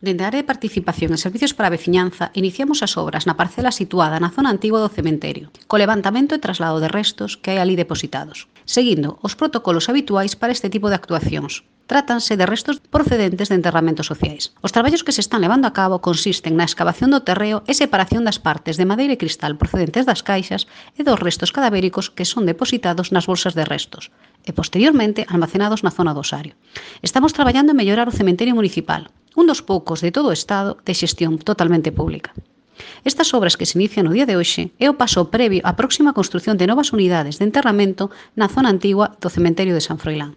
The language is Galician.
Dende a área de participación e servicios para a veciñanza, iniciamos as obras na parcela situada na zona antigua do cementerio, co levantamento e traslado de restos que hai ali depositados, seguindo os protocolos habituais para este tipo de actuacións. Trátanse de restos procedentes de enterramentos sociais. Os traballos que se están levando a cabo consisten na excavación do terreo e separación das partes de madeira e cristal procedentes das caixas e dos restos cadavéricos que son depositados nas bolsas de restos e posteriormente almacenados na zona do osario. Estamos traballando en mellorar o cementerio municipal, un dos poucos de todo o Estado de xestión totalmente pública. Estas obras que se inician no día de hoxe é o paso previo á próxima construción de novas unidades de enterramento na zona antigua do cementerio de San Froilán.